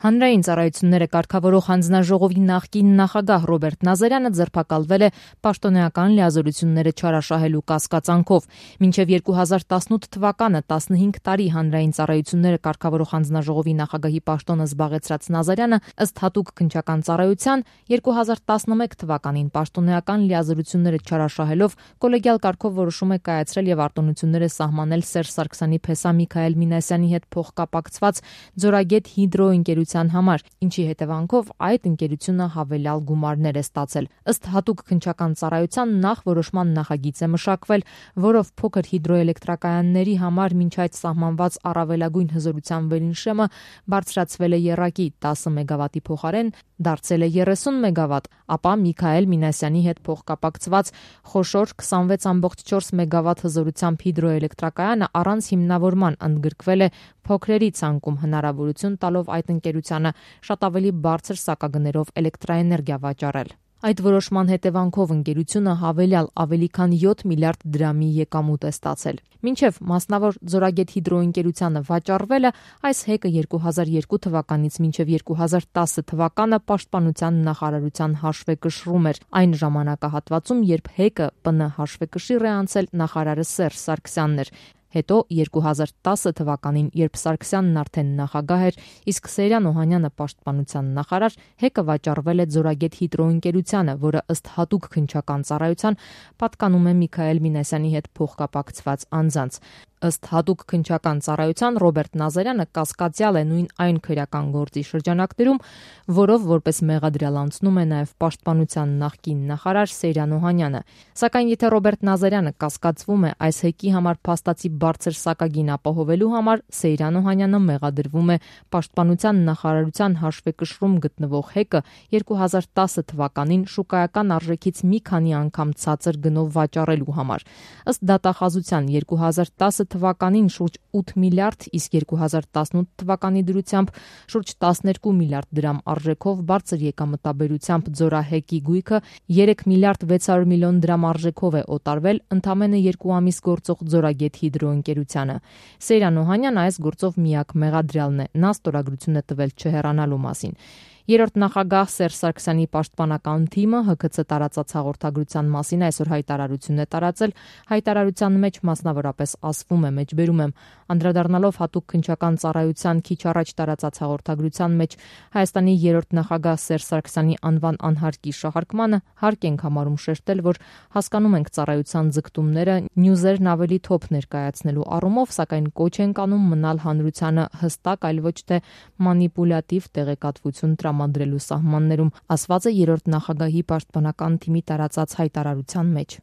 Հանրային ծառայությունները կարգավորող հանձնաժողովի նախկին նախագահ Ռոբերտ Նազարյանը ձերբակալվել է պաշտոնեական լիազորությունները չարաշահելու կասկածանքով։ Մինչև 2018 թվականը 15 տարի հանրային ծառայությունները կարգավորող հանձնաժողովի նախագահի պաշտոնը զբաղեցրած Նազարյանը ըստ հատուկ քննչական ծառայության 2011 թվականին պաշտոնեական լիազորությունները չարաշահելով կոլեգիալ կարգով որոշում է կայացրել եւ արտոնությունները սահմանել Սերժ Սարգսյանի փեսա Միքայել Մինասյանի հետ փոխկապակցված Ձորագետ հիդրոընկերության համար, ինչի հետևանքով այդ ընկերությունը հավելյալ գումարներ է ստացել։ Ըստ հատուկ քննչական ծառայության նախ որոշման նախագիծ է մշակվել, որով փոքր հիդրոէլեկտրակայանների համար մինչ այդ սահմանված առավելագույն հզորության վերին բարձրացվել է եռակի 10 մեգավատի փոխարեն դարձել է 30 մեգավատ, ապա Միքայել Մինասյանի հետ փոխկապակցված խոշոր 26.4 մեգավատ հզորությամբ հիդրոէլեկտրակայանը առանց հիմնավորման ընդգրկվել է փոքրերի ցանկում, հնարավորություն տալով այդ ընկերությանը շատ ավելի բարձր սակագներով էլեկտրաէներգիա վաճառել։ Այդ որոշման հետևանքով ընկերությունը հավելյալ ավելի քան 7 միլիարդ դրամի եկամուտ է ստացել։ Մինչև մասնավոր Ձորագետ հիդրոընկերությանը վաճառվելը այս հեկը 2002 թվականից մինչև 2010 թվականը Պաշտպանության նախարարության հաշվեկշռում էր այն ժամանակահատվածում, երբ հեկը ՊՆ հաշվեկշիռ է անցել նախարարը Սերժ Սարգսյանն էր։ Հետո 2010 թվականին, երբ Սարգսյանն արդեն նախագահ էր, իսկ Սեյրան Օհանյանը պաշտպանության նախարար, հեկը վաճառվել է Ձորագետ հիդրոընկերությանը, որը ըստ հատուկ քննչական ծառայության պատկանում է Միքայել Մինասյանի հետ փոխկապակցված անձանց։ Ըստ հատուկ քննչական ծառայության Ռոբերտ Նազարյանը կասկածյալ է նույն այն քրեական գործի շրջանակներում, որով որպես մեղադրյալ անցնում է նաև պաշտպանության նախկին նախարար Սեյրան Օհանյանը։ Սակայն եթե Ռոբերտ Նազարյանը կասկածվում է այս հեկի համար փաստացի բարձր սակագին ապահովելու համար, Սեյրան Օհանյանը մեղադրվում է պաշտպանության նախարարության հաշվեկշռում գտնվող հեկը 2010 թվականին շուկայական արժեքից մի քանի անգամ ցածր գնով վաճառելու համար։ Ըստ դատախազության 2010 թվականին շուրջ 8 միլիարդ, իսկ 2018 թվականի դրությամբ շուրջ 12 միլիարդ դրամ արժեքով բարձր եկամտաբերությամբ ձորահեկի գույքը 3 միլիարդ 600 միլիոն դրամ արժեքով է օտարվել ընդամենը 2 ամիս գործող Ձորագետ հիդրոընկերությանը։ Սեյրան Օհանյան այս գործով միակ մեղադրյալն է, նա ստորագրություն է տվել չհեռանալու մասին։ Երրորդ նախագահ Սերժ Սարգսյանի պաշտպանական թիմը ՀԿՑ տարածած հաղորդագրության մասին այսօր հայտարարություն է տարածել։ Հայտարարության մեջ մասնավորապես ասվում է, մեջբերում եմ, անդրադառնալով հատուկ քննչական ծառայության քիչ առաջ տարածած հաղորդագրության մեջ Հայաստանի երրորդ նախագահ Սերժ Սարգսյանի անվան անհարկի շահարկմանը, հարկ ենք համարում շեշտել, որ հասկանում ենք ծառայության ձգտումները նյուզերն ավելի թոփ ներկայացնելու առումով, սակայն կոչ ենք անում մնալ հանրությանը հստակ, այլ ոչ թե մանիպուլյատիվ տեղեկատվություն տրամադրելու սահմաններում, ասված է երրորդ նախագահի պաշտպանական թիմի տարածած հայտարարության մեջ։